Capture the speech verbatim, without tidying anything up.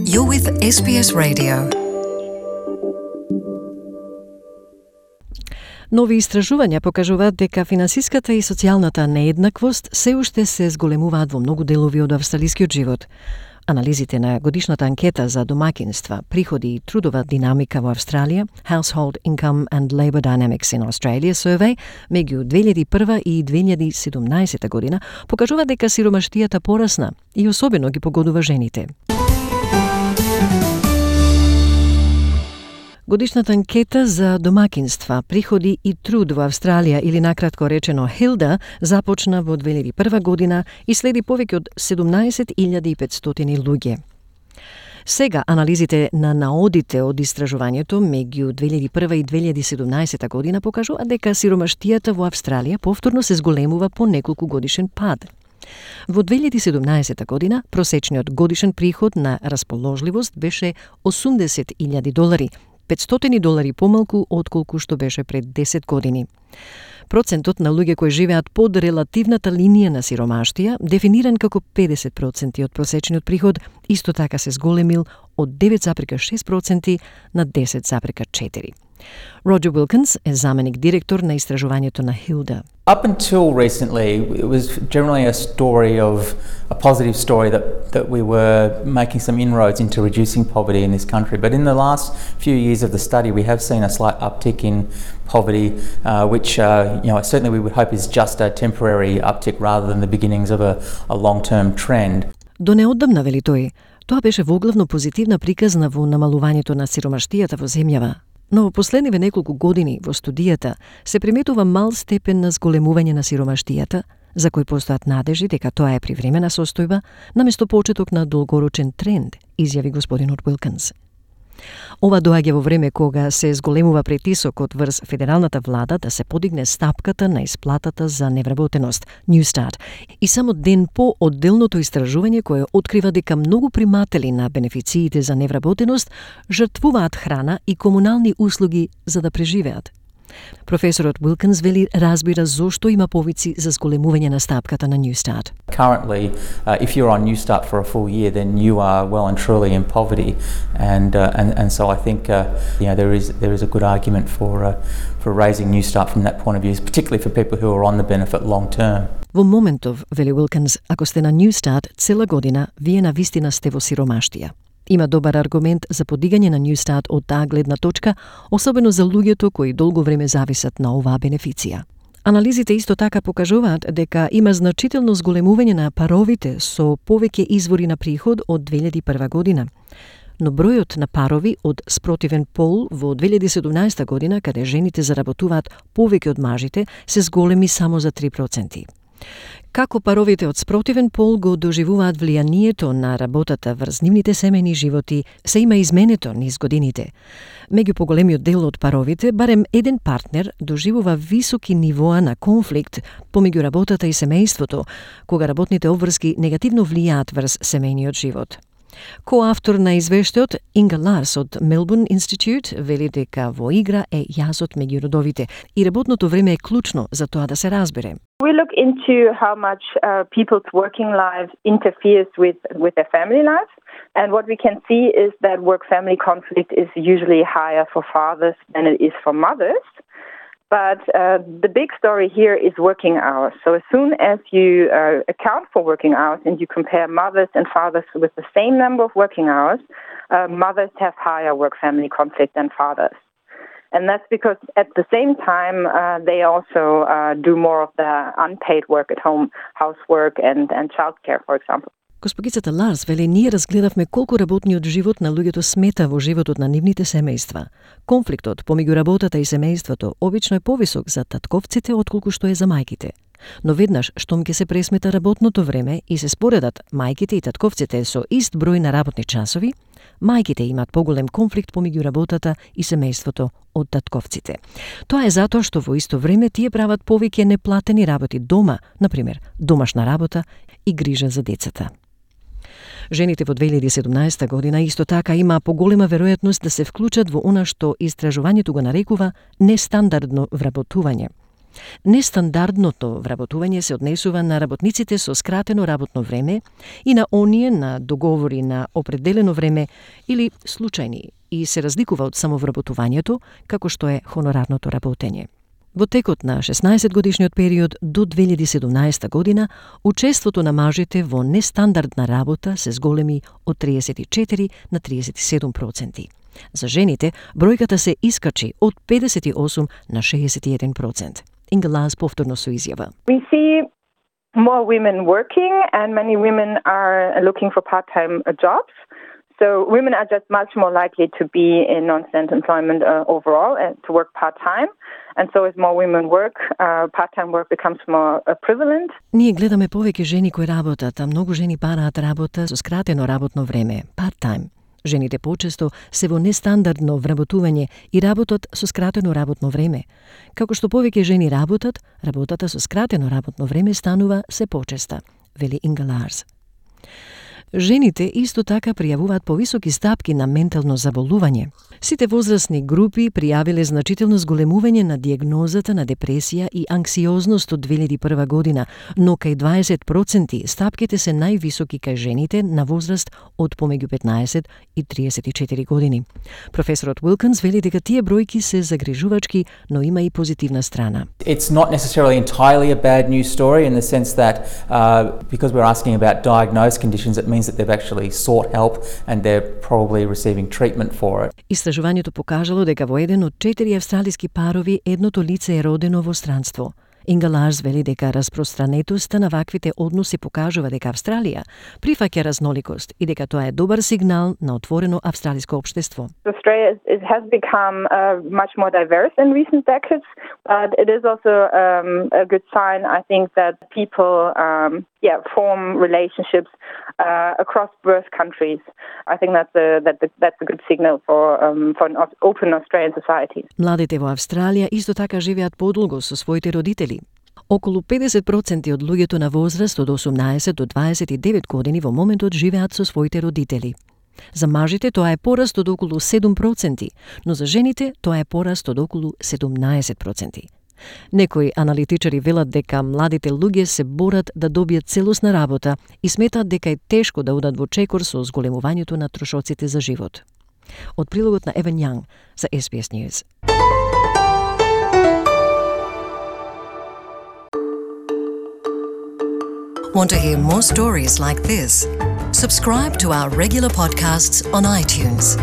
You're with Ес Би Ес Radio. Нови истражувања покажуваат дека финансиската и социјалната нееднаквост се уште се зголемуваат во многу делови од австралискиот живот. Анализите на годишната анкета за домакинства, приходи и трудова динамика во Австралија, Household Income and Labour Dynamics in Australia Survey, меѓу две илјади и прва и две илјади и седумнаесета година, покажува дека сиромаштијата порасна и особено ги погодува жените. Годишната анкета за домакинства, приходи и труд во Австралија, или накратко речено Хилда, започна во две илјади и прва година и следи повеќе од седумнаесет илјади и петстотини луѓе. Сега анализите на наодите од истражувањето меѓу две илјади и прва и две илјади и седумнаесета година покажува дека сиромаштијата во Австралија повторно се зголемува по неколку годишен пад. Во две илјади и седумнаесета година просечниот годишен приход на расположливост беше осумдесет илјади долари, петстотини долари помалку отколку што беше пред десет години. Процентот на луѓе кои живеат под релативната линија на сиромаштија, дефиниран како педесет проценти од просечниот приход, исто така се зголемил од девет зарез шест проценти на десет зарез четири. Роджер Уилкинс е заменик директор на истражувањето на Хилда. Up until recently, it was generally a story of a positive story that, that we were making some inroads into reducing poverty in this country. But in the last few years of the study, we have seen a slight uptick in poverty, uh, which uh, you know certainly we would hope is just a temporary uptick rather than the beginnings of a, a long-term trend. До неодамна, вели тој, тоа беше воглавно позитивна приказна во намалувањето на сиромаштијата во земјава. Но во последниве неколку години во студијата се приметува мал степен на зголемување на сиромаштијата, за кој постојат надежи дека тоа е привремена состојба, наместо почеток на долгорочен тренд, изјави господинот Уилкинс. Ова доаѓа во време кога се зголемува притисокот врз федералната влада да се подигне стапката на исплатата за невработеност, Newstart, и само ден по одделното истражување кое открива дека многу приматели на бенефициите за невработеност жртвуваат храна и комунални услуги за да преживеат. Професорот Уилкинс вели разбира зошто има повици за зголемување на стапката на Newstart. Currently, uh, if you're on Newstart for a full year, then you are well and truly in poverty, and uh, and and so I think uh, you know there is there is a good argument for uh, for raising Newstart from that point of view, particularly for people who are on the benefit long term. Во моментов, вели Уилкинс, ако сте на Newstart цела година, вие навистина сте во сиромаштија. Има добар аргумент за подигање на Newstart од таа гледна точка, особено за луѓето кои долго време зависат на оваа бенефиција. Анализите исто така покажуваат дека има значително зголемување на паровите со повеќе извори на приход од две илјади и прва година. Но бројот на парови од спротивен пол во две илјади и седумнаесета година, каде жените заработуваат повеќе од мажите, се зголеми само за три проценти. Како паровите од спротивен пол го доживуваат влијанието на работата врз нивните семејни животи, се има изменето низ годините. Меѓу поголемиот дел од паровите, барем еден партнер доживува високи нивоа на конфликт помеѓу работата и семејството, кога работните обврски негативно влијаат врз семејниот живот. Коавтор на извештајот Инга Ларс од Melbourne Institute вели дека во игра е јазот меѓу родовите и работното време е клучно за тоа да се разбере. We look into how much uh, people's working lives interferes with, with their family life. And what we can see is that work-family conflict is usually higher for fathers than it is for mothers. But uh, the big story here is working hours. So as soon as you uh, account for working hours and you compare mothers and fathers with the same number of working hours, uh, mothers have higher work-family conflict than fathers. And that's because at the same time, uh, they also uh, do more of the unpaid work at home, housework and, and childcare, for example. Госпогицата Ларс вели, ние разгледавме колку работниот живот на луѓето смета во животот на нивните семејства. Конфликтот помеѓу работата и семејството обично е повисок за татковците отколку што е за мајките. Но веднаш штом ќе се пресмета работното време и се споредат мајките и татковците со ист број на работни часови, мајките имаат поголем конфликт помеѓу работата и семејството од татковците. Тоа е затоа што во исто време тие прават повеќе неплатени работи дома, например, домашна работа и грижа за децата. Жените во две илјади и седумнаесета година исто така има поголема веројатност да се вклучат во она што истражувањето го нарекува нестандардно вработување. Нестандардното вработување се однесува на работниците со скратено работно време и на оние на договори на определено време или случајни и се разликува од самовработувањето, како што е хонорарното работење. Во текот на шеснаесет годишниот период до две илјади и седумнаесета година, учеството на мажите во нестандардна работа се зголеми од триесет и четири на триесет и седум проценти. За жените, бројката се искачи од педесет и осум на шеесет и еден процент. Инга Лаас повторно со изјава. We see more women working and many women are looking for part-time jobs. So women are just much more likely to be in non-student employment uh, overall and to work part-time. And so as more women work, uh, part-time work becomes more uh, prevalent. Ние гледаме повеќе жени кои работат, а многу жени бараат работа со скратено работно време, part-time. Жените почесто се во нестандардно вработување и работат со скратено работно време. Како што повеќе жени работат, работата со скратено работно време станува се почеста, вели Инга Лаас. Жените исто така пријавуваат повисоки стапки на ментално заболување. Сите возрастни групи пријавиле значително зголемување на дијагнозата на депресија и анксиозност од две илјади и прва година, но кај дваесет проценти стапките се највисоки кај жените на возраст од помеѓу петнаесет и триесет и четири години. Професорот Уилкинс вели дека тие бројки се загрижувачки, но има и позитивна страна. It's not necessarily entirely a bad news story in the sense that uh, because we're asking about diagnosed conditions, it means that they've actually sought help and they're probably receiving treatment for it. Истражувањето покажало дека во еден од четири австралиски парови едното лице е родено во странство. Инга Лаас вели дека распространетоста на ваквите односи покажува дека Австралија прифаќа разноликост и дека тоа е добар сигнал на отворено австралиско општество. Australia is, has become uh, much more diverse in recent decades, but it is also um, a good sign, I think, that people um, yeah, form relationships uh, across both countries. I think that's a, that, that's a good signal for, um, for an open Australian society. Младите во Австралија исто така живеат подолго со своите родители. Околу педесет проценти од луѓето на возраст од осумнаесет до дваесет и девет години во моментот живеат со своите родители. За мажите тоа е пораст од околу седум проценти, но за жените тоа е пораст од околу седумнаесет проценти. Некои аналитичари велат дека младите луѓе се борат да добијат целосна работа и сметаат дека е тешко да одат во чекор со зголемувањето на трошоците за живот. Од прилогот на Еван Јанг за Ес Би Ес News. Want to hear more stories like this? Subscribe to our regular podcasts on iTunes.